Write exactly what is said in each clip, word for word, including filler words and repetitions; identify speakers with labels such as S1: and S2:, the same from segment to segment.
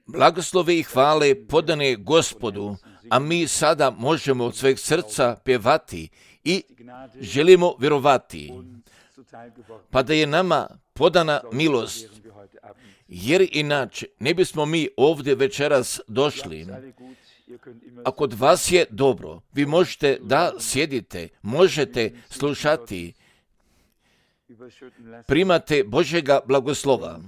S1: Blagoslove i hvale podane Gospodu, a mi sada možemo od sveg srca pjevati i želimo vjerovati, pa da je nama podana milost, jer inače ne bismo mi ovdje večeras došli. A kod vas je dobro, vi možete da sjedite, možete slušati, primate Božjega blagoslova.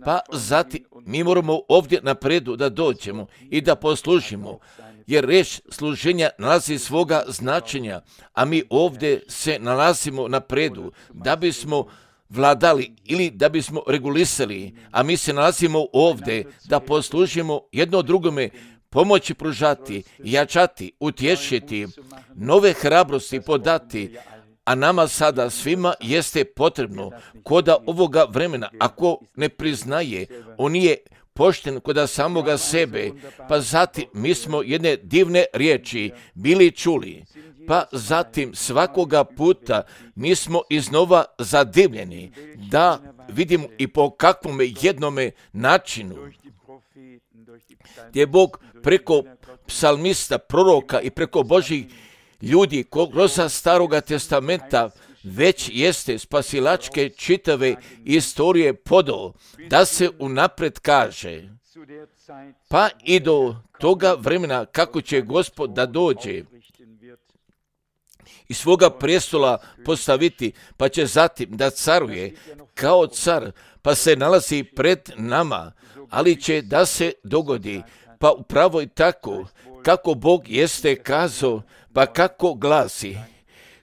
S1: Pa zatim mi moramo ovdje napredu da dođemo i da poslužimo, jer reč služenja nalazi svoga značenja, a mi ovdje se nalazimo napredu da bismo vladali ili da bismo regulisali, a mi se nalazimo ovdje da poslužimo jedno drugome, pomoći pružati, jačati, utješiti, nove hrabrosti podati, a nama sada svima jeste potrebno koda ovoga vremena, ako ne priznaje, on nije pošten koda samoga sebe, pa zatim mi smo jedne divne riječi bili čuli, pa zatim svakoga puta mi smo iznova zadivljeni da vidimo i po kakvome jednome načinu gdje Bog preko psalmista, proroka i preko Božih ljudi kroz Staroga testamenta već jeste spasilačke čitave istorije podao, da se unaprijed kaže, pa i do toga vremena kako će Gospod da dođe i svoga prestola postaviti, pa će zatim da caruje kao car, pa se nalazi pred nama, ali će da se dogodi, pa upravo i tako, kako Bog jeste kazao, pa kako glasi,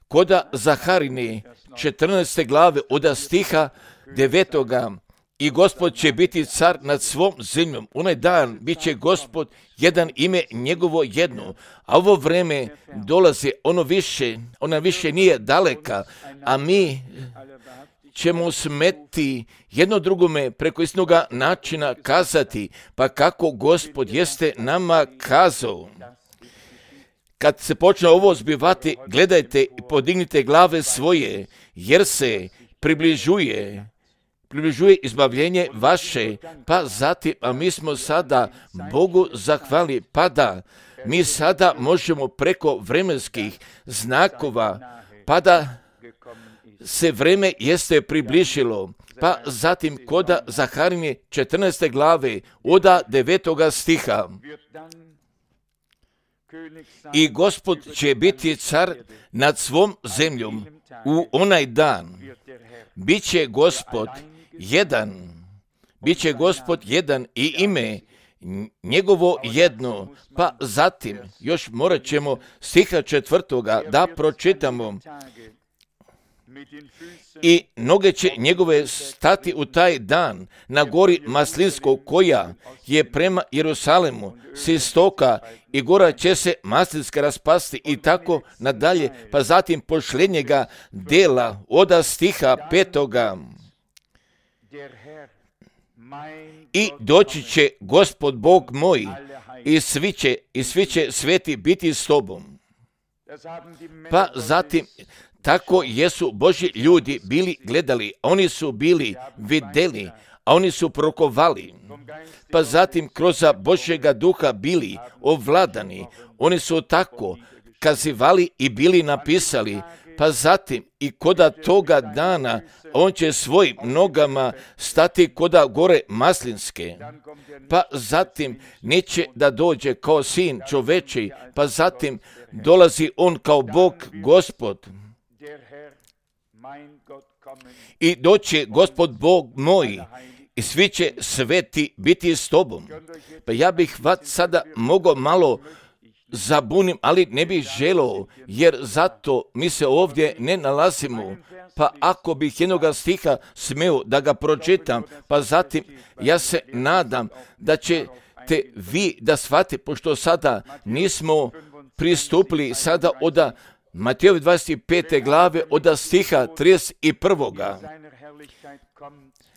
S1: koda Zaharine četrnaeste glave od stiha devetoga, i Gospod će biti car nad svom zemljom. Onaj dan bit će Gospod jedan, ime njegovo jedno, a ovo vreme dolazi, ono više, ona više nije daleka, a mi ćemo smeti jedno drugome preko istinoga načina kazati, pa kako Gospod jeste nama kazao. Kad se počne ovo zbivati, gledajte i podignite glave svoje, jer se približuje, približuje izbavljenje vaše, pa zatim, a mi smo sada Bogu zahvali, pa da mi sada možemo preko vremenskih znakova, pa da se vreme jeste približilo, pa zatim koda Zaharine četrnaeste glave od devetoga stiha. I Gospod će biti car nad svom zemljom u onaj dan. Biće Gospod jedan, biće Gospod jedan i ime njegovo jedno, pa zatim još morat ćemo stiha četvrtoga da pročitamo. I noge će njegove stati u taj dan na gori Maslinskog, koja je prema Jerusalemu s istoka, i gora će se Maslinska raspasti i tako nadalje, pa zatim posljednjega dela od stiha petoga. I doći će Gospod Bog moj i svi će, i svi će sveti biti s tobom. Pa zatim tako jesu Božji ljudi bili gledali, oni su bili vidjeli, a oni su prokovali. Pa zatim kroz Božjega duha bili ovladani, oni su tako kazivali i bili napisali, pa zatim i koda toga dana on će svojim nogama stati koda gore Maslinske, pa zatim neće da dođe kao sin čoveči, pa zatim dolazi on kao Bog Gospod. I doće Gospod Bog moj i svi će sveti biti s tobom. Pa ja bih vas sada mogao malo zabunim, ali ne bih želeo, jer zato mi se ovdje ne nalazimo. Pa ako bih jednoga stiha smeo da ga pročitam, pa zatim ja se nadam da ćete vi da shvatite, pošto sada nismo pristupili sada od Matejovi dvadeset pete glave od stiha trideset prvoga.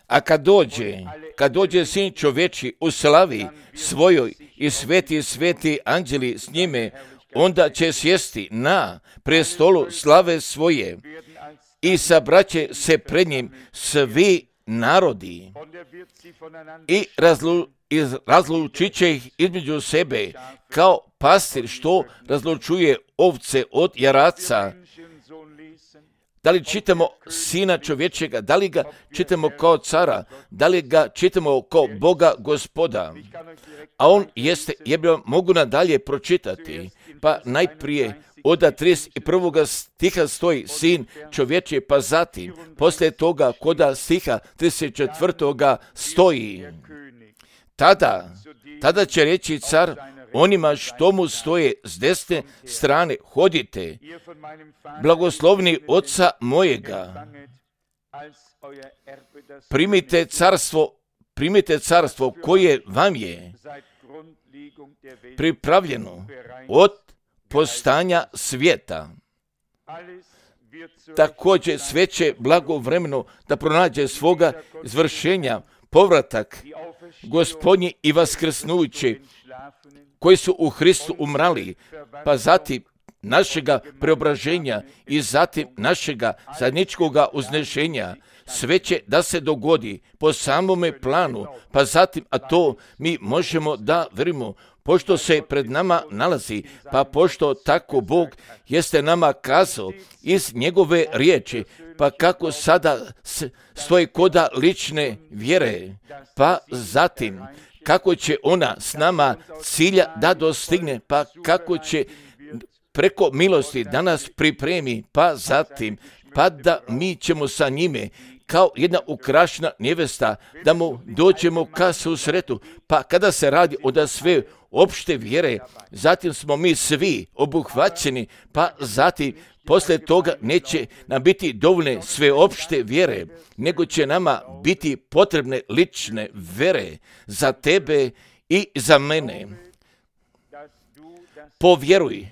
S1: A kad dođe, kad dođe sin čoveči u slavi svojoj i sveti sveti anđeli s njime, onda će sjesti na prestolu slave svoje i sabraće se pred njim svi narodi i razlu, iz, razlučit će ih između sebe kao pastir što razlučuje ovce od jaraca. Da li čitamo Sina čovječega, da li ga čitamo kao cara, da li ga čitamo kao Boga Gospoda, a on jeste, ja bi vam mogu nadalje pročitati, pa najprije od trideset prvog stiha stoji Sin čovječe, pa zatim, poslije toga koda stiha trideset četvrtog stoji, tada, tada će reći car onima što mu stoje s desne strane, hodite, blagoslovni oca mojega, primite carstvo, primite carstvo koje vam je pripravljeno od postanja svijeta. Također sve će blagovremeno da pronađe svoga izvršenja, povratak Gospodnji i vaskrsnući, koji su u Hristu umrali, pa zatim našega preobraženja i zatim našega zajedničkoga uznešenja, sve će da se dogodi po samome planu, pa zatim, a to mi možemo da verimo, pošto se pred nama nalazi, pa pošto tako Bog jeste nama kazao iz njegove riječi, pa kako sada stoji koda lične vjere, pa zatim kako će ona s nama cilja da dostigne, pa kako će preko milosti da nas pripremi, pa zatim, pa da mi ćemo sa njime kao jedna ukrašena nevesta, da mu dođemo ka susretu, pa kada se radi o da sve opšte vjere, zatim smo mi svi obuhvaćeni, pa zatim poslije toga neće nam biti dovoljne sve opšte vjere, nego će nama biti potrebne lične vjere za tebe i za mene. Povjeruj,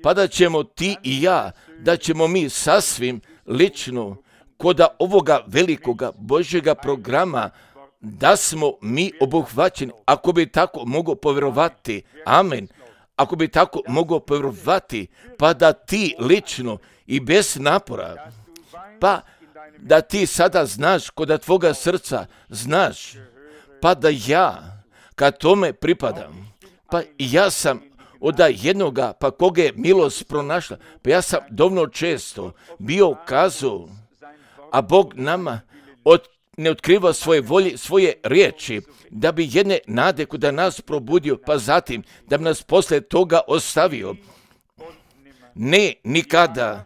S1: pa da ćemo ti i ja, da ćemo mi sasvim lično koda ovoga velikoga Božjega programa, da smo mi obuhvaćeni, ako bi tako mogo povjerovati, amen, ako bi tako mogo povjerovati, pa da ti lično i bez napora, pa da ti sada znaš koda tvoga srca, znaš, pa da ja, kad tome pripadam, pa ja sam od jednoga, pa koga je milost pronašla, pa ja sam dovoljno često bio kazao, a Bog nama od, ne otkriva svoje volje, svoje riječi, da bi jedne nade kuda nas probudio, pa zatim da bi nas poslije toga ostavio. Ne nikada,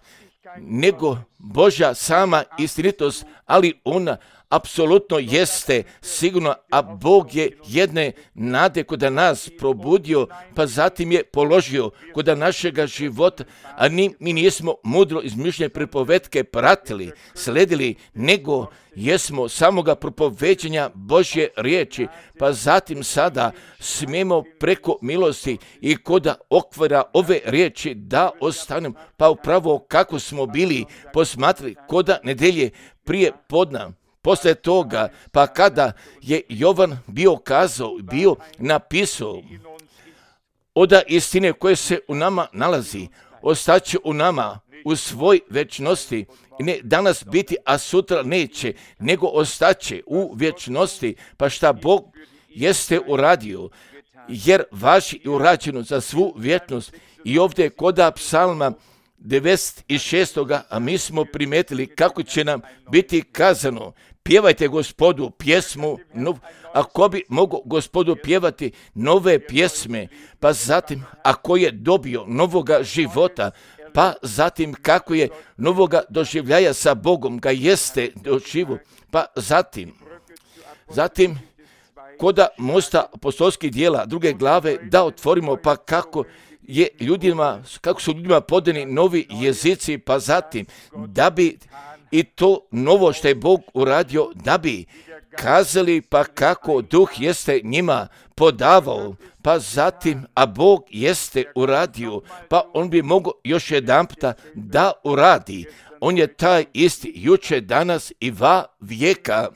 S1: nego Božja sama istinitost, ali ona apsolutno jeste sigurno, a Bog je jedne nade kuda nas probudio, pa zatim je položio kuda našega života, a ni, mi nismo mudro izmišljene pripovetke pratili, sledili, nego jesmo samoga propoveđenja Božje riječi, pa zatim sada smijemo preko milosti i koda okvira ove riječi da ostanemo, pa upravo kako smo bili posmatrali koda nedelje prije podna. Poslije toga, pa kada je Jovan bio kazao, bio napisao, oda istine koje se u nama nalazi, ostaće u nama u svoj vječnosti, ne danas biti, a sutra neće, nego ostaće u vječnosti, pa šta Bog jeste uradio, jer vaši je urađeno za svu vječnost. I ovdje koda psalma devedeset šest. a mi smo primetili kako će nam biti kazano, pjevajte Gospodu pjesmu, nov, ako bi mogo Gospodu pjevati nove pjesme, pa zatim ako je dobio novoga života, pa zatim kako je novoga doživljaja sa Bogom ga jeste doživu, pa zatim, zatim koda mosta apostolskih dijela druge glave da otvorimo, pa kako je ljudima, kako su ljudima podani novi jezici, pa zatim da bi i to novo što je Bog uradio, da bi kazali pa kako Duh jeste njima podavao, pa zatim, a Bog jeste uradio, pa on bi mogao još jedan puta da uradi. On je taj isti juče, danas i va vijeka.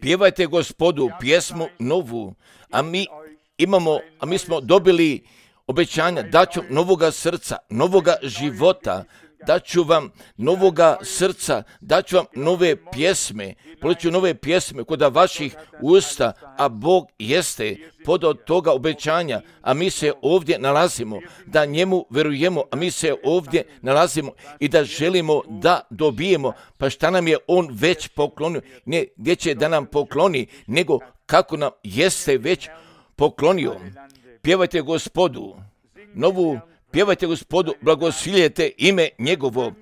S1: Pjevajte Gospodu pjesmu novu, a mi imamo, a mi smo dobili obećanja da ću novoga srca, novoga života, daću vam novoga srca, daću vam nove pjesme, poliću nove pjesme kod vaših usta, a Bog jeste podao toga obećanja, a mi se ovdje nalazimo, da njemu verujemo, a mi se ovdje nalazimo i da želimo da dobijemo, pa šta nam je on već poklonio, ne gdje će da nam pokloni, nego kako nam jeste već poklonio. Pjevajte Gospodu novu, pjevajte Gospodu, blagosiljete ime njegovo,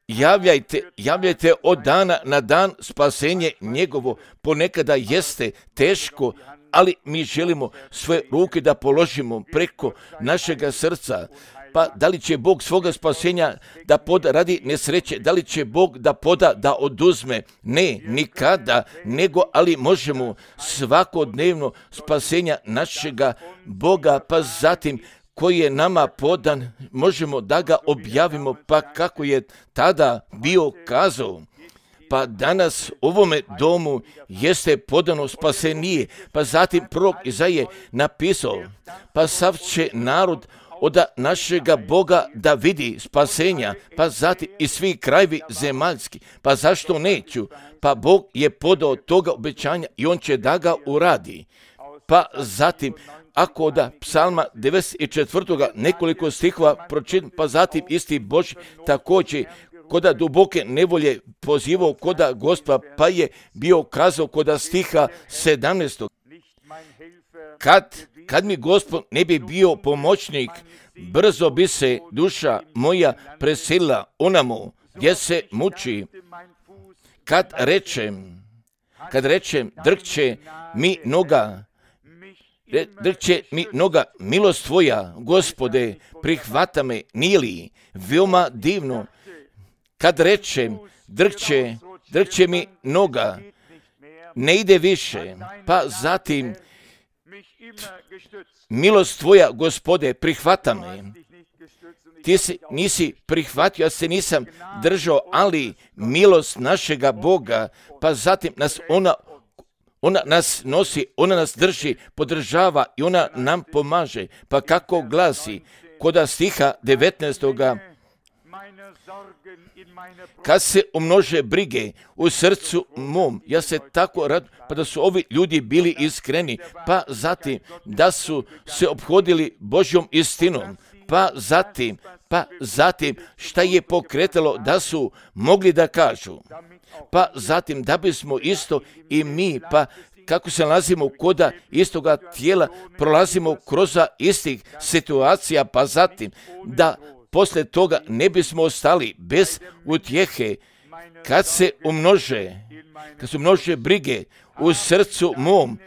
S1: javljajte, javljajte od dana na dan spasenje njegovo. Ponekada jeste teško, ali mi želimo svoje ruke da položimo preko našega srca. Pa da li će Bog svoga spasenja da poda radi nesreće, da li će Bog da poda da oduzme? Ne, nikada, nego ali možemo svakodnevno spasenja našega Boga, pa zatim koji je nama podan, možemo da ga objavimo, pa kako je tada bio kazao. Pa danas ovome domu jeste podano spasenije, pa zatim prorok Izaije napisao, pa sav će narod od našega Boga da vidi spasenja, pa zatim i svi krajevi zemaljski. Pa zašto neću? Pa Bog je podao toga obećanja i on će da ga uradi. Pa zatim, ako da psalma devedeset četvrtog nekoliko stihova pročitam, pa zatim isti Bož također koda duboke nevolje pozivao koda Gospa, pa je bio kazao koda stiha sedamnaestog. Kad, kad mi Gospod ne bi bio pomoćnik, brzo bi se duša moja preselila onamo gdje se muči. Kad rečem, kad rečem, drkće mi noga, drkće mi noga, milost tvoja, Gospode, prihvata me, nije li veoma divno? Kad rečem, drkće, drkće mi noga, ne ide više, pa zatim, milost tvoja, Gospode, prihvata me. Ti si, nisi prihvatio, ja se nisam držao, ali milost našega Boga, pa zatim nas ona, ona nas nosi, ona nas drži, podržava i ona nam pomaže. Pa kako glasi, koda stiha devetnaestoga. Kad se umnože brige u srcu mom, ja se tako radujem, pa da su ovi ljudi bili iskreni, pa zatim da su se ophodili Božjom istinom, pa zatim, pa zatim šta je pokretalo da su mogli da kažu, pa zatim da bismo isto i mi, pa kako se nalazimo koda istoga tijela, prolazimo kroz istih situacija, pa zatim da posle toga ne bismo ostali bez utjehe, kad se umnože, kad se umnože brige u srcu mom,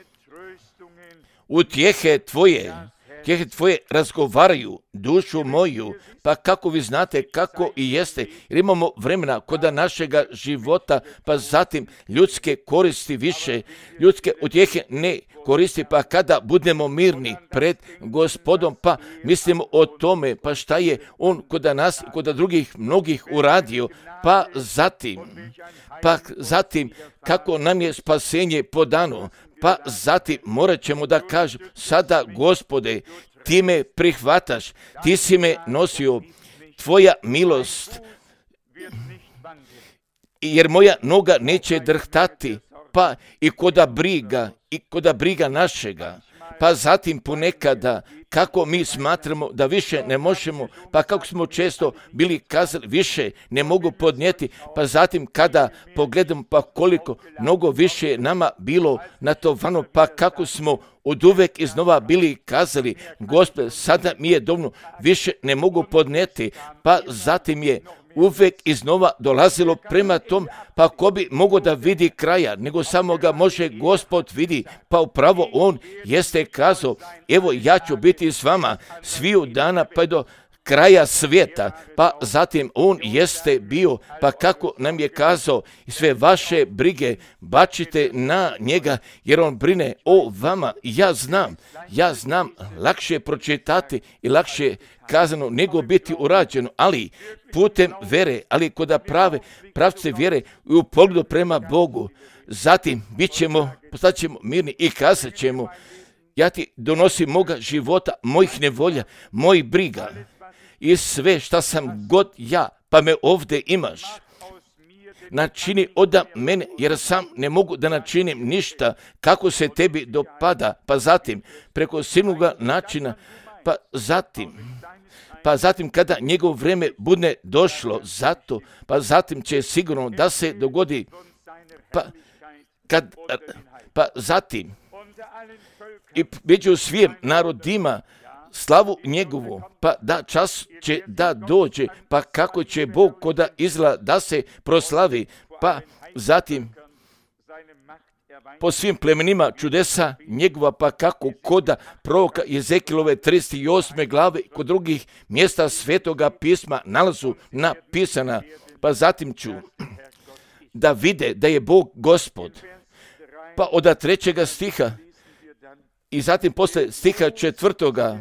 S1: utjehe tvoje, utjehe tvoje razgovaraju dušu moju, pa kako vi znate kako i jeste, jer imamo vremena koda našega života, pa zatim ljudske koristi više, ljudske utjehe ne koristi, pa kada budemo mirni pred Gospodom, pa mislimo o tome, pa šta je on koda nas i koda drugih mnogih uradio, pa zatim, pa zatim kako nam je spasenje podano, pa zatim morat ćemo da kažem, sada Gospode, ti me prihvataš, ti si me nosio, tvoja milost, jer moja noga neće drhtati, pa i koda briga, i koda briga našega, pa zatim ponekada kako mi smatramo da više ne možemo, pa kako smo često bili kazali više ne mogu podnijeti, pa zatim kada pogledamo pa koliko mnogo više je nama bilo natovano, pa kako smo od uvek iznova bili kazali, Gospod, sada mi je dovoljno, više ne mogu podnijeti, pa zatim je uvek iznova dolazilo prema tom, pa ko bi mogao da vidi kraja, nego samo ga može Gospod vidi, pa upravo on jeste kazao, evo ja ću biti s vama sviju dana pa do kraja svijeta, pa zatim on jeste bio, pa kako nam je kazao, sve vaše brige bačite na njega, jer on brine o vama. Ja znam, ja znam lakše pročitati i lakše kazano nego biti urađeno, ali putem vere, ali koda prave pravce vjere i u pogledu prema Bogu, zatim bit ćemo, postat ćemo mirni i kazat ćemo, ja ti donosim moga života, mojih nevolja, mojih briga i sve šta sam god ja pa me ovdje imaš. Načini oda mene, jer sam ne mogu da načinim ništa kako se tebi dopada, pa zatim preko silnoga načina, pa zatim, pa zatim kada njegovo vrijeme bude došlo, zato, pa zatim će sigurno da se dogodi, pa, kad, pa zatim i među svim narodima slavu njegovu, pa da čas će da dođe, pa kako će Bog koda Izraela da se proslavi, pa zatim po svim plemenima čudesa njegova, pa kako koda proroka Jezekilove trideset osme glave kod drugih mjesta svetoga pisma nalazu napisana, pa zatim ću da vide da je Bog Gospod. Pa od trećega stiha i zatim posle stiha četvrtoga,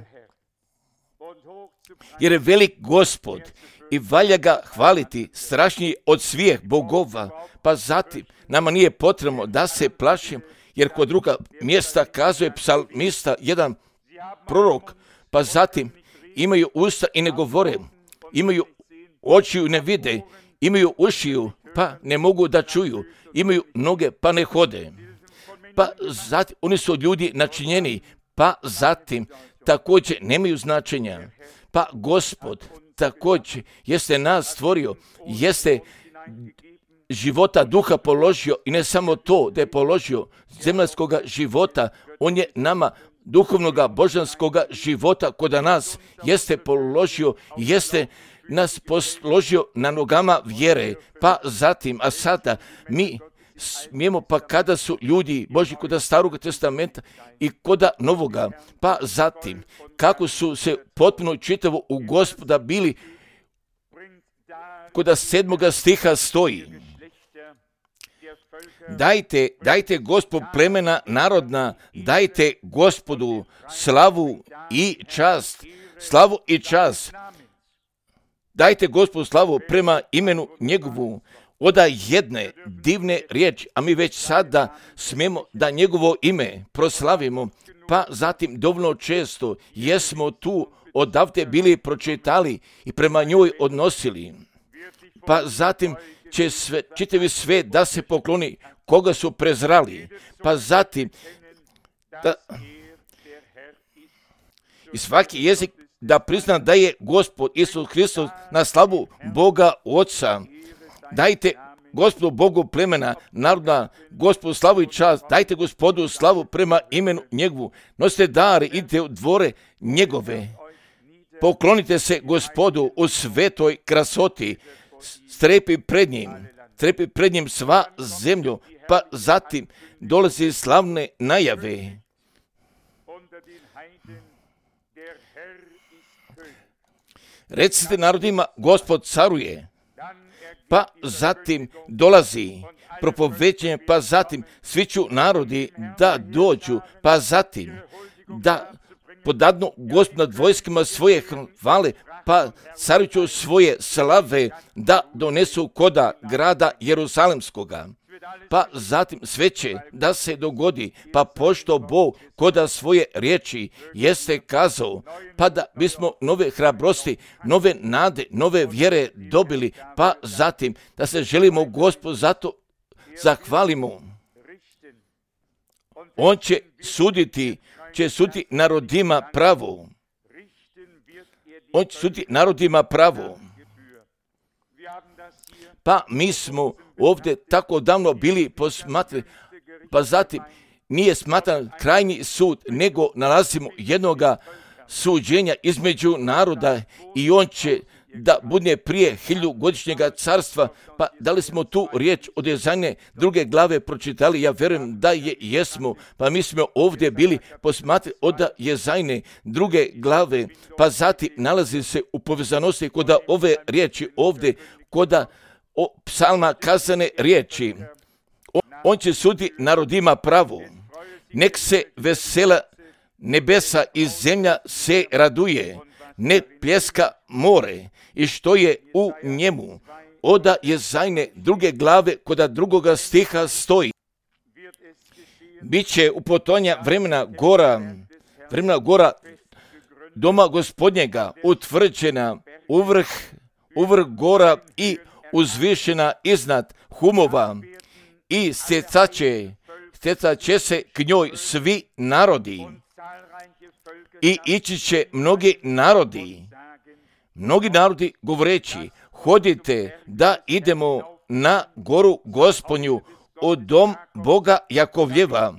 S1: jer je velik Gospod i valja ga hvaliti, strašniji od svih bogova, pa zatim nama nije potrebno da se plašimo, jer kod druga mjesta kazuje psalmista jedan prorok, pa zatim imaju usta i ne govore, imaju oči i ne vide, imaju ušiju pa ne mogu da čuju, imaju noge pa ne hode. Pa zatim oni su od ljudi načinjeni, pa zatim također nemaju značenja. Pa Gospod također jeste nas stvorio, jeste života duha položio i ne samo to da je položio zemaljskoga života, on je nama duhovnoga božanskoga života kod nas jeste položio, jeste nas položio na nogama vjere, pa zatim, a sada mi smijemo, pa kada su ljudi Božji kod Staroga testamenta i kod Novoga, pa zatim kako su se potpuno čitavo u Gospoda bili, kod sedmoga stiha stoji: Dajte, dajte Gospod plemena narodna, dajte Gospodu slavu i čast, slavu i čast. Dajte Gospodu slavu prema imenu njegovu. Oda jedne divne riječi, a mi već sada smijemo da njegovo ime proslavimo, pa zatim dovoljno često jesmo tu odavde bili pročitali i prema njoj odnosili. Pa zatim će sve, čitavi svet da se pokloni koga su prezrali, pa zatim da, i svaki jezik da prizna da je Gospod Isus Hristos na slavu Boga Oca. Dajte Gospodu Bogu plemena narodna, Gospodu slavu i čast, dajte Gospodu slavu prema imenu njegovu, nosite dare, idite u dvore njegove, poklonite se Gospodu u svetoj krasoti, strepi pred njim, strepi pred njim sva zemlju, pa zatim dolazi slavne najave. Recite narodima, Gospod caruje. Pa zatim dolazi propoveđenje, pa zatim svi ću narodi da dođu, pa zatim da podadnu Gospod nad vojskama svoje hvale, pa carujuću svoje slave da donesu koda grada Jerusalemskoga. Pa zatim sve će da se dogodi, pa pošto Bog koda svoje riječi jeste kazao, pa da bismo nove hrabrosti, nove nade, nove vjere dobili, pa zatim da se želimo Gospodu zato zahvalimo. On će suditi, će suditi narodima pravo. On će suditi narodima pravo. Pa mi smo ovdje tako davno bili posmatrali, pa zatim nije smatran krajnji sud, nego nalazimo jednoga suđenja između naroda i on će da bude prije hiljugodišnjega carstva. Pa da li smo tu riječ od Jezajne druge glave pročitali? Ja vjerujem da je jesmo, pa mi smo ovdje bili posmatrali od Jezajne druge glave, pa zatim nalazi se u povezanosti kod ove riječi ovdje, kod o psalma kazane riječi. On će sudi narodima pravo. Nek se vesela nebesa i zemlja se raduje. Ne pljeska more i što je u njemu. Oda Jezajne druge glave kod drugoga stiha stoji. Biće u potonja vremena gora, vremena gora doma Gospodnjega utvrđena u vrh, uvrh gora i uzvišena iznad humova i stjecat će, stjecat će se k njoj svi narodi i ići će mnogi narodi, mnogi narodi govoreći, hodite da idemo na goru Gospodnju, u dom Boga Jakovljeva,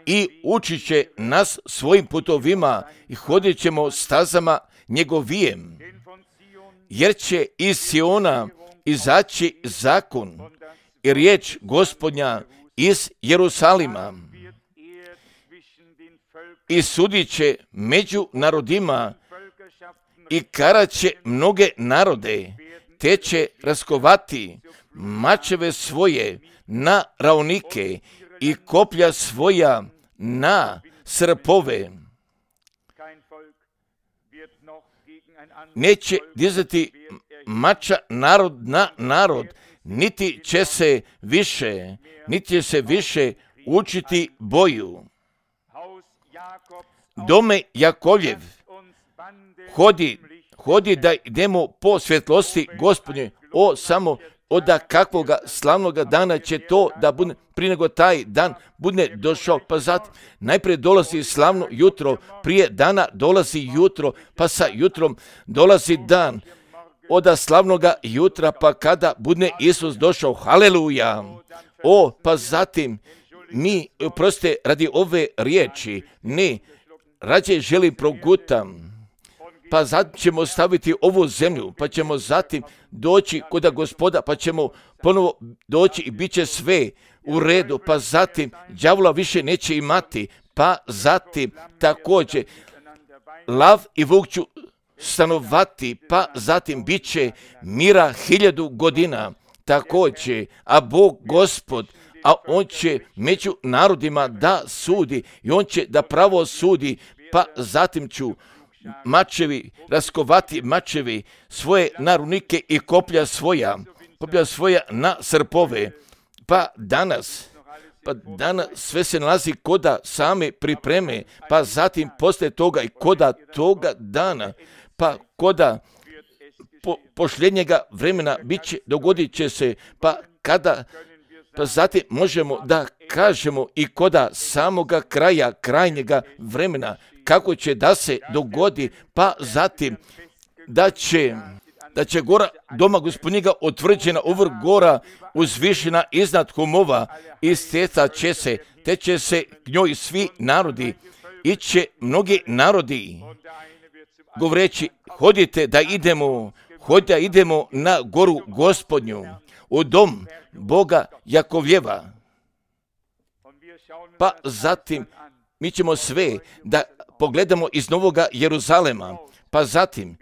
S1: i učit će nas svojim putovima i hodit ćemo stazama njegovijem, jer će iz Siona izaći zakon i riječ Gospodnja iz Jerusalima i sudit će među narodima i karat će mnoge narode, te će raskovati mačeve svoje na raunike i koplja svoja na srpove. Neće dizati mača narod na narod, niti će se više, niti će se više učiti boju. Dome Jakovljev, hodi, hodi da idemo po svjetlosti Gospodnje, o samo od kakvoga slavnoga dana će to da bude, prije nego taj dan bude došao, pa zatim najprije dolazi slavno jutro, prije dana dolazi jutro, pa sa jutrom dolazi dan, od slavnoga jutra, pa kada bude Isus došao, haleluja, o, pa zatim mi, proste, radi ove riječi, ne, rađe želi progutam, pa zatim ćemo staviti ovu zemlju, pa ćemo zatim doći kod Gospoda, pa ćemo ponovo doći i bit će sve u redu, pa zatim đavola više neće imati, pa zatim također lav i vuk ću stanovati, pa zatim bit će mira hiljadu godina također, a Bog Gospod, a On će među narodima da sudi i On će da pravo sudi, pa zatim ću mačevi, raskovati mačevi svoje narunike i koplja svoja, koplja svoja na srpove. Pa danas, pa danas sve se nalazi koda same pripreme, pa zatim poslije toga i koda toga dana, pa koda po, pošljenjega vremena bit će, dogodit će se, pa kada, pa zatim možemo da kažemo i koda samoga kraja, krajnjega vremena, kako će da se dogodi, pa zatim da će, da će gora doma Gospodnjega otvrđena uvrh gora uzvišena iznad humova i stjecat će se, te će se k njoj svi narodi, iće mnogi narodi, govoreći, hodite da idemo, hodite da idemo na goru Gospodnju, u dom Boga Jakovljeva. Pa zatim mi ćemo sve da pogledamo iz Novoga Jeruzalema, pa zatim,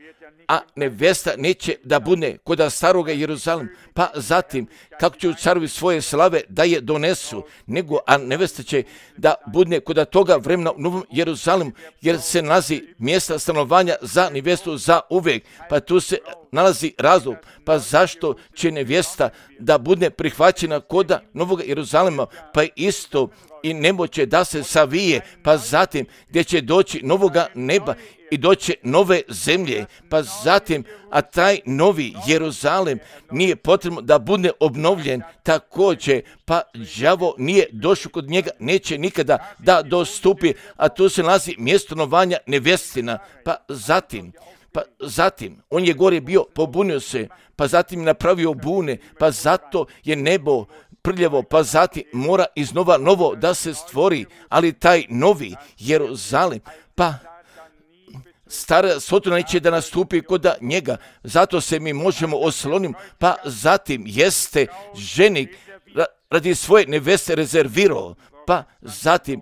S1: a nevesta neće da bude kod staroga Jeruzalema, pa zatim kako će carovi svoje slave da je donesu, nego a nevesta će da bude kod toga vremena u Novom Jeruzalemu, jer se nalazi mjesta stanovanja za nevestu za uvijek, pa tu se nalazi razlog, pa zašto će nevesta da bude prihvaćena kod Novog Jeruzalema, pa isto i nebo će da se savije, pa zatim gdje će doći novoga neba i doće nove zemlje, pa zatim, a taj novi Jeruzalem nije potrebno da bude obnovljen također, pa đavo nije došao kod njega, neće nikada da dostupi, a tu se nalazi mjesto stanovanja nevestina, pa zatim, pa zatim, on je gore bio, pobunio se, pa zatim je napravio bune, pa zato je nebo prljavo, pa zatim mora iznova novo da se stvori, ali taj novi Jeruzalem, pa stara Sodoma neće da nastupi kod njega, zato se mi možemo osloniti, pa zatim jeste ženik radi svoje neveste rezervirao, pa zatim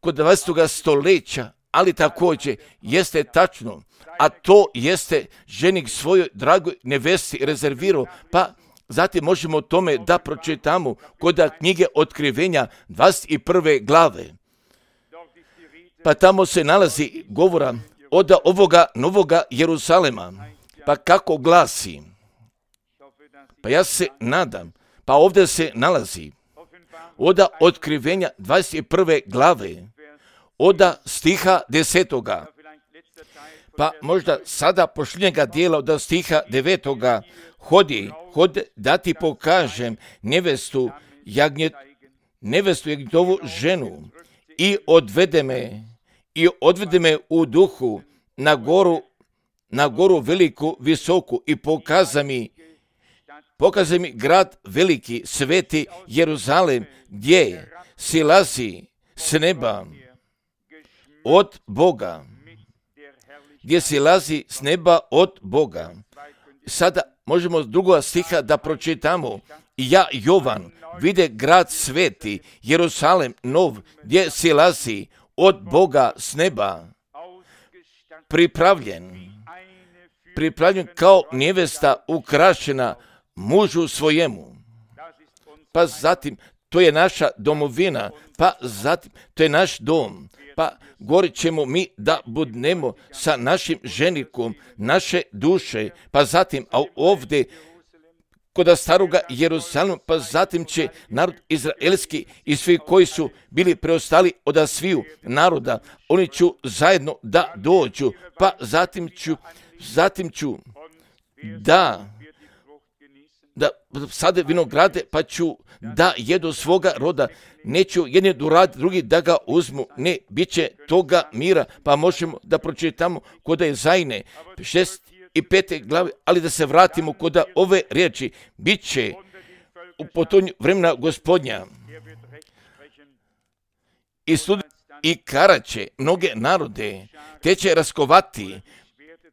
S1: kod dvadesetog stoljeća, ali također jeste tačno, a to jeste ženik svojoj dragoj nevesti rezervirao, pa zatim možemo o tome da pročitamo kod knjige Otkrivenja dvadeset prve glave. Pa tamo se nalazi govora od ovoga novoga Jeruzalema. Pa kako glasi? Pa ja se nadam, pa ovdje se nalazi od Otkrivenja dvadeset prve glave, od stiha desetoga. Pa možda sada pošljenjega dijela od stiha devetoga, hodi, hodi da ti pokažem nevestu jagnjet, nevestu jagnjetovu ženu i odvede me, i odvede me u duhu na goru, na goru veliku, visoku i pokaza mi, pokaza mi grad veliki, sveti Jeruzalem, gdje silazi s neba od Boga, gdje silazi s neba od Boga. Sada možemo drugo stiha da pročitamo. Ja, Jovan, vide grad sveti, Jeruzalem nov, gdje silazi od Boga s neba, pripravljen, pripravljen kao nevesta ukrašena mužu svojemu. Pa zatim, to je naša domovina, pa zatim, to je naš dom, pa govorit ćemo mi da budemo sa našim ženikom, naše duše, pa zatim, a ovdje kod staroga Jeruzalema, pa zatim će narod izraelski i svi koji su bili preostali od sviju naroda, oni ću zajedno da dođu, pa zatim ću, zatim ću da, da sade vinograde, pa ću da jedu svoga roda, neću jedni durad, drugi da ga uzmu, ne, bit će toga mira, pa možemo da pročitamo kod je Zajne, šest i pete glave, ali da se vratimo kod ove riječi, bit će u potonju vremena Gospodnja i sud i karaće mnoge narode, te će raskovati,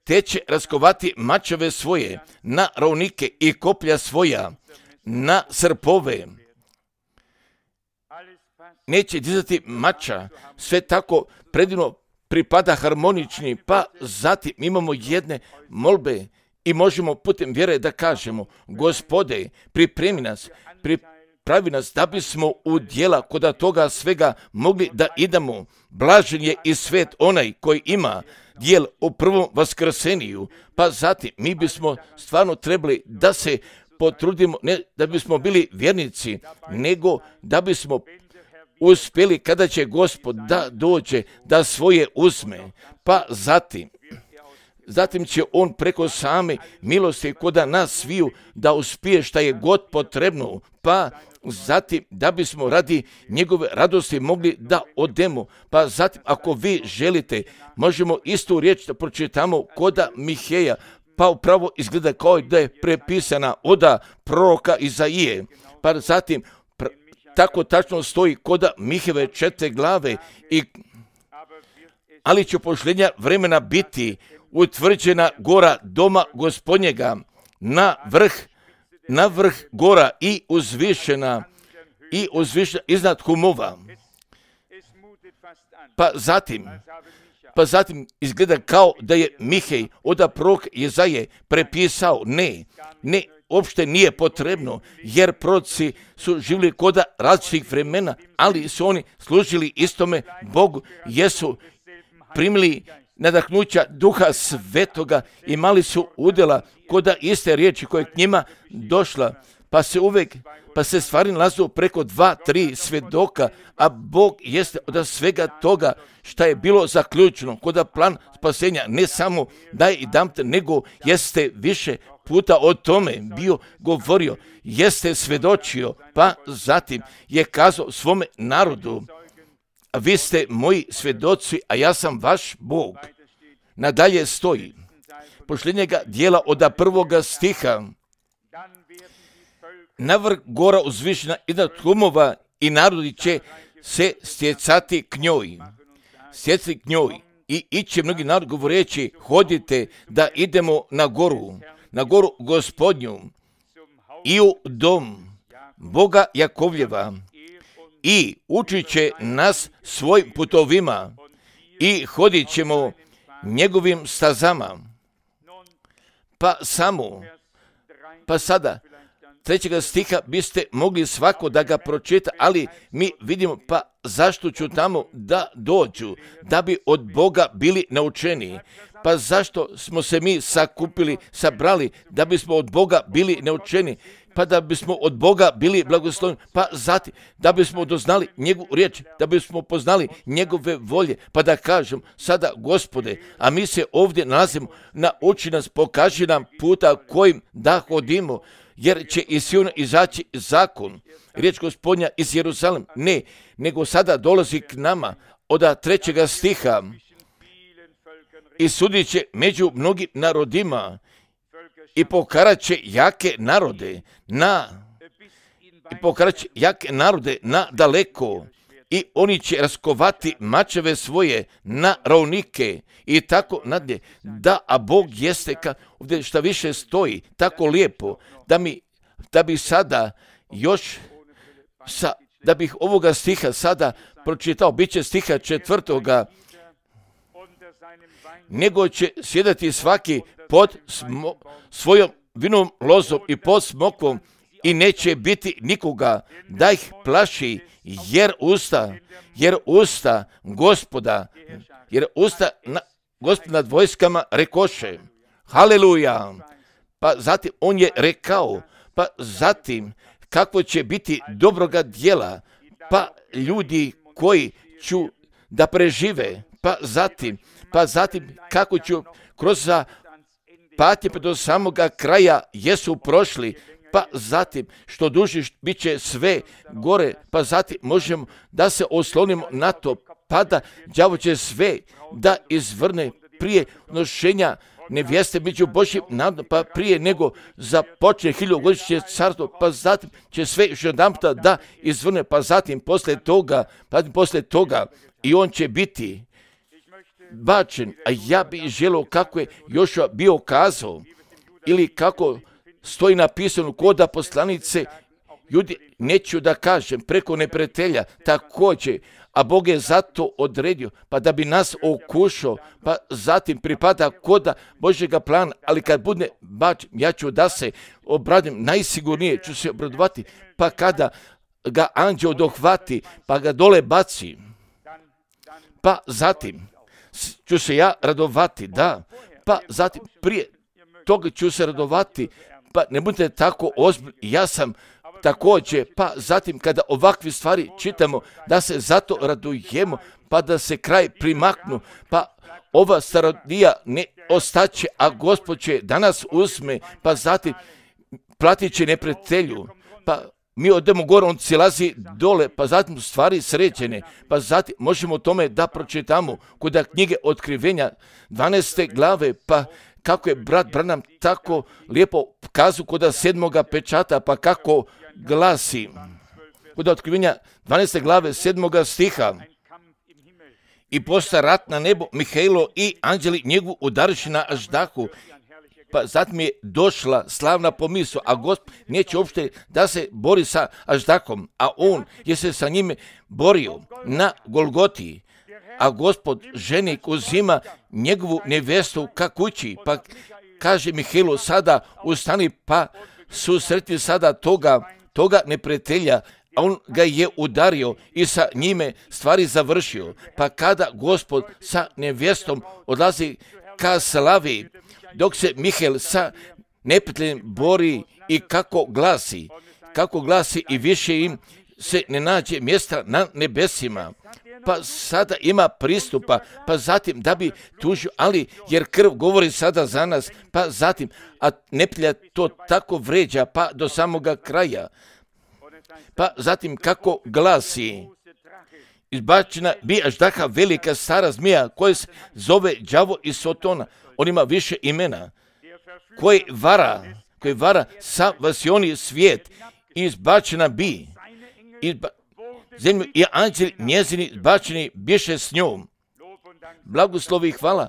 S1: te će raskovati mačeve svoje na ravnike i koplja svoja na srpove. Neće dizati mača, sve tako predivno pripada harmonični, pa zatim imamo jedne molbe i možemo putem vjere da kažemo, Gospode, pripremi nas, pripravi nas da bismo u djela kod toga svega mogli da idemo. Blažen je i svet onaj koji ima djel u prvom vaskrseniju, pa zatim mi bismo stvarno trebali da se potrudimo, ne da bismo bili vjernici, nego da bismo uspjeli kada će Gospod da dođe, da svoje uzme, pa zatim, zatim će on preko same milosti kod nas sviju da uspije šta je god potrebno, pa zatim da bismo radi njegove radosti mogli da odemo, pa zatim ako vi želite, možemo istu riječ da pročitamo kod Miheja, pa upravo izgleda kao da je prepisana od proroka Izaije, pa zatim tako tačno stoji kod Miheve četiri glave, i, ali će pošljenja vremena biti utvrđena gora doma Gospodnjega na vrh, na vrh gora i uzvišena, i uzvišena iznad humova. Pa zatim, pa zatim izgleda kao da je Mihej od prorok Izaije prepisao, ne, ne, uopšte nije potrebno, jer proroci su živjeli kod različitih vremena, ali su oni služili istome Bogu, jesu primili nadahnuća Duha Svetoga, imali su udjela kod iste riječi koja je k njima došla, pa se uvijek, pa se stvari nalazu preko dva, tri svjedoka, a Bog jeste od svega toga šta je bilo zaključeno kod plan spasenja, ne samo daj i dam te, nego jeste više puta o tome bio govorio, jeste svjedočio, pa zatim je kazao svome narodu, vi ste moji svjedoci, a ja sam vaš Bog. Nadalje stoji, pošljenjega dijela od prvoga stiha, na vrh gora uzvišena iznad humova i narodi će se stjecati k njoj, stjecati k njoj i iće mnogi narod govoreći, hodite da idemo na goru, na goru Gospodnju i u dom Boga Jakovljeva i učit će nas svojim putovima i hodit ćemo njegovim stazama. Pa samo, pa sada, trećega stiha biste mogli svako da ga pročita, ali mi vidimo, pa zašto ću tamo da dođu, da bi od Boga bili naučeni. Pa zašto smo se mi sakupili, sabrali, da bismo od Boga bili neučeni, pa da bismo od Boga bili blagosloveni, pa zatim da bismo doznali njegovu riječ, da bismo poznali njegove volje, pa da kažem sada, Gospode, a mi se ovdje nalazimo, nauči nas, pokaži nam puta kojim da hodimo, jer će iz Siona izaći zakon, riječ Gospodnja iz Jeruzalem, ne, nego sada dolazi k nama od trećega stiha i sudit će među mnogim narodima i pokarat će jake narode na i pokarat će jake narode na daleko i oni će raskovati mačeve svoje na ravnike i tako nadalje. Da, a Bog jeste, ka, ovdje šta više stoji, tako lijepo, da mi, da bi sada još, sa, da bih ovoga stiha sada pročitao, bit će stiha četvrtoga, nego će sjedati svaki pod smo, svojom vinom lozom i pod smokvom i neće biti nikoga da ih plaši, jer usta, jer usta Gospoda, jer usta na, Gospoda nad vojskama rekoše, haleluja, pa zatim on je rekao, pa zatim kakvo će biti dobroga djela, pa ljudi koji ću da prežive, pa zatim, pa zatim kako ću kroz patnje pa do samoga kraja jesu prošli, pa zatim što duži bit će sve gore, pa zatim možemo da se oslonimo na to, pa da đavo će sve da izvrne prije nošenja nevjeste među Božjim narodom, pa prije nego započne hiljogodišnje carstvo, pa zatim će sve još jedanputa da izvrne, pa zatim posle toga, pa zatim posle toga i on će biti bačen, a ja bih želio kako je Jošua bio kazao, ili kako stoji napisano kod poslanice, ljudi, neću da kažem, preko neprijatelja, također, a Bog je zato odredio, pa da bi nas okušao, pa zatim pripada koda Božjega plana, ali kad bude bačen, ja ću da se obradim, najsigurnije ću se obradovati, pa kada ga anđeo dohvati, pa ga dole baci, pa zatim ću se ja radovati, da, pa zatim prije toga ću se radovati, pa ne budete tako ozbiljni, ja sam također, pa zatim kada ovakve stvari čitamo, da se zato radujemo, pa da se kraj primaknu, pa ova starodija ne ostaće, a Gospod će danas uzme, pa zatim platit će neprijatelju, pa mi odemo gore, on silazi dole, pa zatim stvari sređene, pa zatim možemo o tome da pročitamo kod knjige Otkrivenja dvanaeste glave, pa kako je brat Branham tako lijepo kazao kod sedmoga pečata, pa kako glasi kod Otkrivenja dvanaeste glave sedmoga stiha. I posta rat na nebo, Mihailo i anđeli njegovu udariši na aždahu, pa zatim je došla slavna pomisao, a Gospod neće uopšte da se bori sa aždahom, a on je se sa njime borio na Golgoti, a Gospod ženik uzima njegovu nevjestu ka kući, pa kaže Mihailo sada ustani, pa susreti sada toga, toga neprijatelja, a on ga je udario i sa njime stvari završio, pa kada Gospod sa nevjestom odlazi ka slavi, dok se Mihael sa neprijateljem bori i kako glasi, kako glasi i više im se ne nađe mjesta na nebesima, pa sada ima pristupa, pa zatim da bi tužio, ali jer krv govori sada za nas, pa zatim, a neprijatelj to tako vređa, pa do samoga kraja, pa zatim kako glasi, izbačena bi aždaha velika stara zmija koja se zove đavo i Sotona, on ima više imena, koji vara, koji vara sa vasioni svijet, izbačena bi, izba, zemlju i anđeli njezini izbačeni biše s njom. Blagoslovi i hvala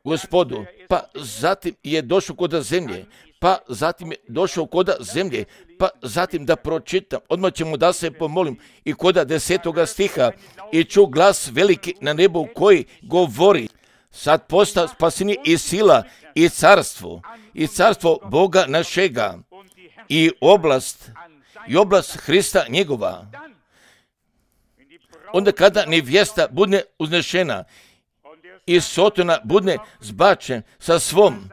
S1: Gospodu, pa zatim je došao koda zemlje, pa zatim je došao koda zemlje, pa zatim da pročitam, odmah ćemo da se pomolim i koda desetoga stiha, i ču glas veliki na nebu koji govori, sad posta spasenje i sila i carstvo, i carstvo Boga našega, i oblast, i oblast Hrista njegova. Onda kada nevjesta bude uznešena i Sotona budne zbačen sa svom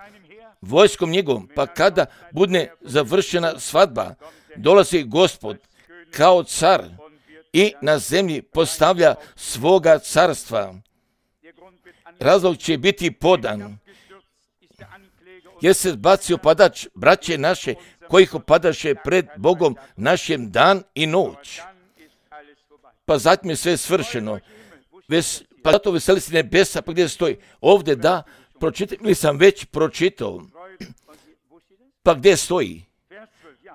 S1: vojskom njegovom, pa kada budne završena svadba, dolazi Gospod kao car i na zemlji postavlja svoga carstva. Razlog će biti podan, jer se zbacio padač braće naše, kojih opadaše pred Bogom našem dan i noć. Pa zatim je sve svršeno. Ves, pa zato veseli se nebesa, pa gdje stoji? Ovdje da, pročitam, ili sam već pročitao. Pa gdje stoji?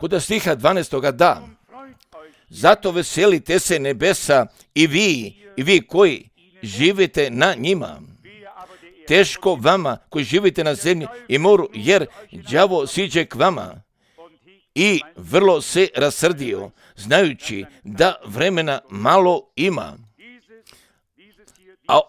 S1: Kod stiha dvanaestoga da. Zato veselite se nebesa i vi, i vi koji živite na njima. Teško vama koji živite na zemlji i moru, jer đavo siđe k vama i vrlo se rasrdio, znajući da vremena malo ima. A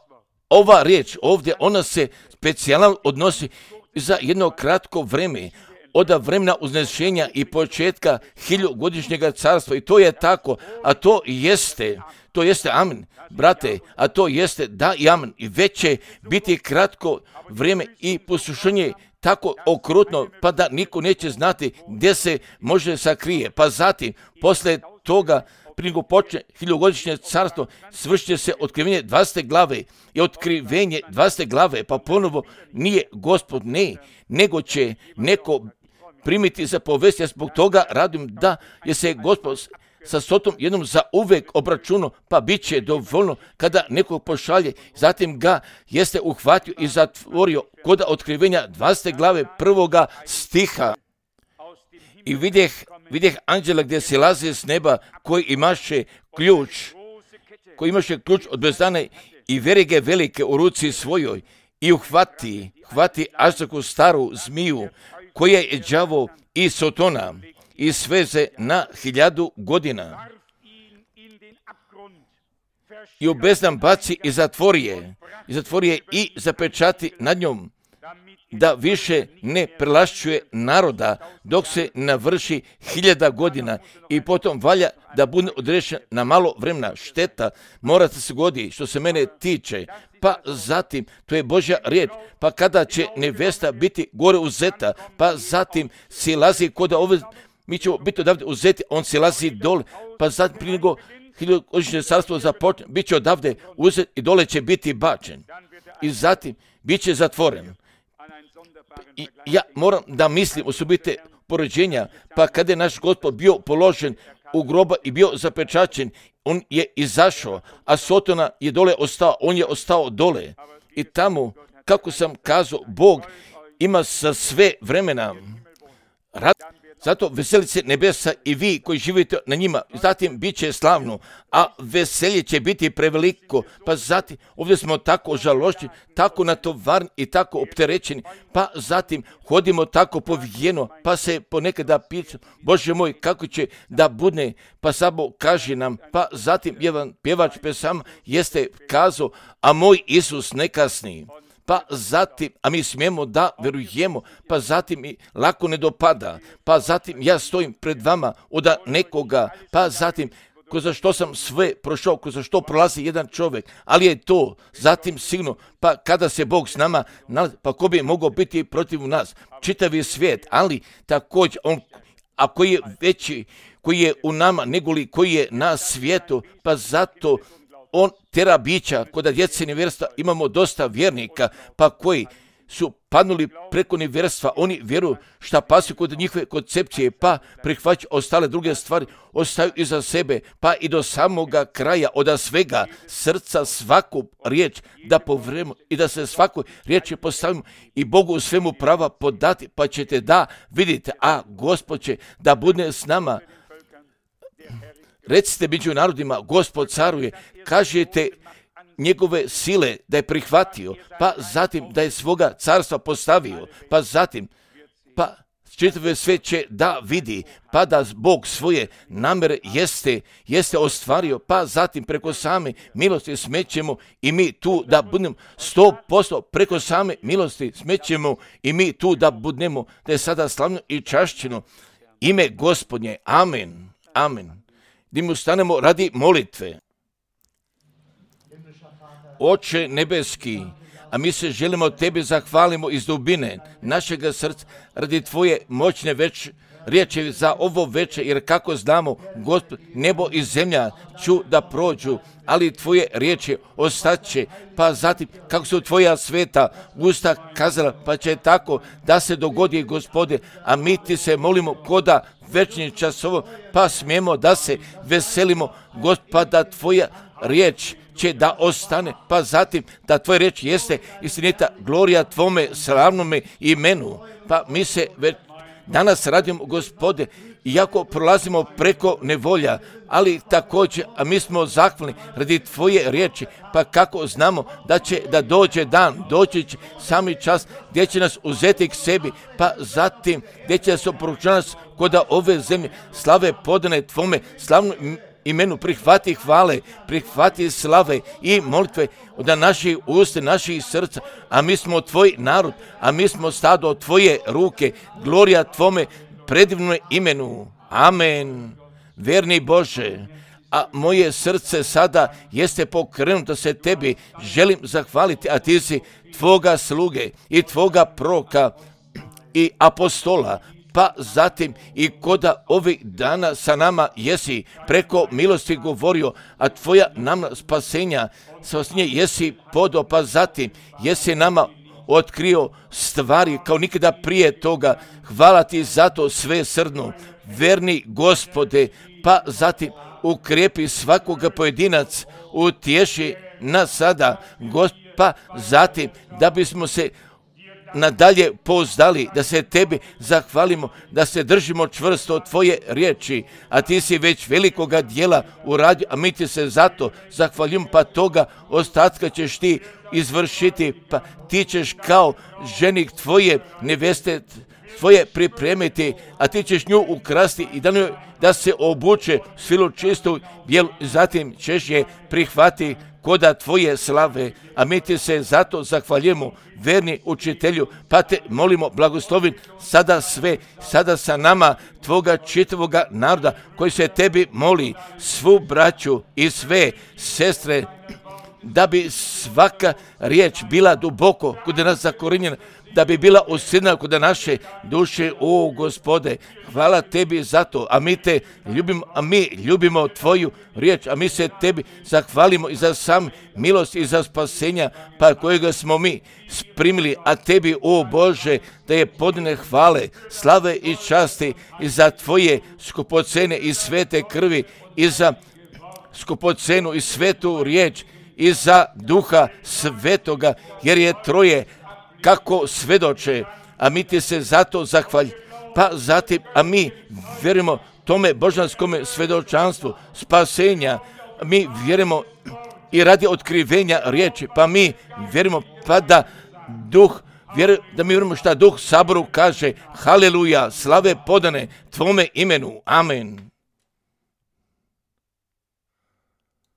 S1: ova riječ ovdje, ona se specijalno odnosi za jedno kratko vreme, od vremena uznešenja i početka hiljugodišnjega carstva. I to je tako, a to jeste, to jeste amen, brate, a to jeste da i amen. I već će biti kratko vrijeme i poslušanje tako okrutno, pa da niko neće znati gdje se može sakrije. Pa zatim, posle toga, prije nego počne hiljugodišnje carstvo, svršće se otkrivenje dvadesete glave i otkrivenje dvadesete glave, pa ponovo nije Gospod, ne, nego će neko primiti za povest. Ja zbog toga radim da je se Gospod sa Sotom jednom za uvek obračunao, pa bit će dovoljno kada nekog pošalje. Zatim ga jeste uhvatio i zatvorio kod otkrivenja dvadesete glave prvoga stiha. I vidjeh, vidjeh anđela gdje se laze s neba, koji imaše ključ, koji imaše ključ od bezdane i verige velike u ruci svojoj i uhvati, hvati aždahu staru zmiju, koja je đavo i Sotona i sveze na hiljadu godina. I u bezdan baci i zatvori je, i zatvori je i zapečati nad njom, da više ne prelašćuje naroda dok se navrši hiljada godina i potom valja da bude odrešen na malo vremena. Šteta mora se godi što se mene tiče. Pa zatim, to je Božja riječ, pa kada će nevesta biti gore uzeta, pa zatim silazi kod ove, mi ćemo biti odavde uzeti, on silazi dole, pa zatim prije nego hiljugodišnje carstvo započne, bit će odavde uzet i dole će biti bačen. I zatim, bit će zatvoren. I ja moram da mislim osobite poređenja, pa kada je naš Gospod bio položen u groba i bio zapečaćen, on je izašao, a Sotona je dole ostao, on je ostao dole. I tamo, kako sam kazao, Bog ima sa sve vremena rad. Zato veseli se nebesa i vi koji živite na njima. Zatim bit će slavno, a veselje će biti preveliko. Pa zatim, ovdje smo tako žalošćeni, tako natovarni i tako opterećeni. Pa zatim, hodimo tako povijeno, pa se ponekada pitam, Bože moj, kako će da budne, pa samo kaži nam. Pa zatim, jedan pjevač pesama jeste kazao, a moj Isus ne kasni. Pa zatim, a mi smijemo da verujemo, pa zatim i lako ne dopada, pa zatim ja stojim pred vama od nekoga, pa zatim kroz što sam sve prošao, kroz što prolazi jedan čovjek, ali je to zatim sigurno, pa kada se Bog s nama nalazi, pa ko bi mogao biti protiv nas, čitavi svijet, ali također on, a koji je veći, koji je u nama negoli koji je na svijetu, pa zato on tera bića, kod djece nevjerstva imamo dosta vjernika, pa koji su padnuli preko nevjerstva, oni vjeruju šta pasuju kod njihove koncepcije, pa prihvaćaju ostale druge stvari, ostaju iza sebe, pa i do samoga kraja, od svega srca svaku riječ da povremo i da se svaku riječi postavimo i Bogu u svemu prava podati, pa ćete da vidite, a Gospod će da bude s nama. Recite među narodima, Gospod caruje, kažete njegove sile da je prihvatio, pa zatim da je svoga carstva postavio, pa zatim, pa čitave sve će da vidi, pa da Bog svoje namere jeste, jeste ostvario, pa zatim preko same milosti smećemo i mi tu da budemo sto posto preko same milosti smećemo i mi tu da budemo, da je sada slavno i čašćeno ime Gospodnje. Amen. Amen. Da mu stanemo radi molitve. Oče nebeski, a mi se želimo Tebi zahvalimo iz dubine našega srca radi Tvoje moćne već riječi za ovo večer, jer kako znamo, Gospod, nebo i zemlja ću da prođu, ali Tvoje riječi ostaće, pa zatim kako su Tvoja sveta usta kazala, pa će tako da se dogodi, Gospode, a mi Ti se molimo koda večni časovo, pa smijemo da se veselimo, Gospod, da Tvoja riječ će da ostane, pa zatim da Tvoja riječ jeste istinita, glorija Tvome slavnome imenu, pa mi se već danas radimo, Gospode, iako prolazimo preko nevolja, ali također, a mi smo zahvalni radi Tvoje riječi, pa kako znamo da će da dođe dan, doći će sami čas gdje će nas uzeti k sebi, pa zatim gdje će nas oporučati kod ove zemlje, slave podane Tvome slavnom imenu, prihvati hvale, prihvati slave i molitve od naših usta, naših srca, a mi smo Tvoj narod, a mi smo stado od Tvoje ruke, glorija Tvome predivnom imenu. Amen. Verni Bože, a moje srce sada jeste pokrenuto se Tebi, želim zahvaliti, a Ti si Tvoga sluge i Tvoga proka i apostola, pa zatim i koda ovih dana sa nama jesi preko milosti govorio, a Tvoja nama spasenja, spasenje jesi podo, pa zatim jesi nama otkrio stvari kao nikada prije toga. Hvala Ti za to sve srdno, verni Gospode, pa zatim ukrijepi svakoga pojedinac, utješi nas sada, Gospod, pa zatim da bismo se nadalje pouzdali, da se Tebi zahvalimo, da se držimo čvrsto od Tvoje riječi, a Ti si već velikoga dijela uradio, a mi Ti se zato zahvaljujemo, pa toga ostatka ćeš Ti izvršiti, pa Ti ćeš kao ženik Tvoje neveste Tvoje pripremiti, a Ti ćeš nju ukrasti i da, nju, da se obuče svilu čistu bijelu, zatim ćeš je prihvati koda Tvoje slave, a mi Ti se zato zahvaljujemo, verni učitelju, pa Te molimo, blagoslovi sada sve, sada sa nama Tvoga čitavoga naroda koji se Tebi moli, svu braću i sve sestre, da bi svaka riječ bila duboko kod nas zakorinjena, da bi bila usidna kod naše duše. O Gospode, hvala Tebi za to, a mi Te ljubimo, a mi ljubimo Tvoju riječ, a mi se Tebi zahvalimo i za sam milost i za spasenja, pa kojega smo mi primili, a Tebi, o Bože, da je podne hvale, slave i časti i za Tvoje skupocene i svete krvi i za skupocenu i svetu riječ i za Duha Svetoga, jer je Troje kako svedoče, a mi Ti se zato zahvalj, pa zatim, a mi vjerujemo tome božanskome svedočanstvu spasenja, mi vjerujemo i radi otkrivenja riječi, pa mi vjerujemo pa da Duh, vjeruj, da mi vjerujemo šta Duh Saboru kaže, haleluja, slave podane Tvome imenu, amen.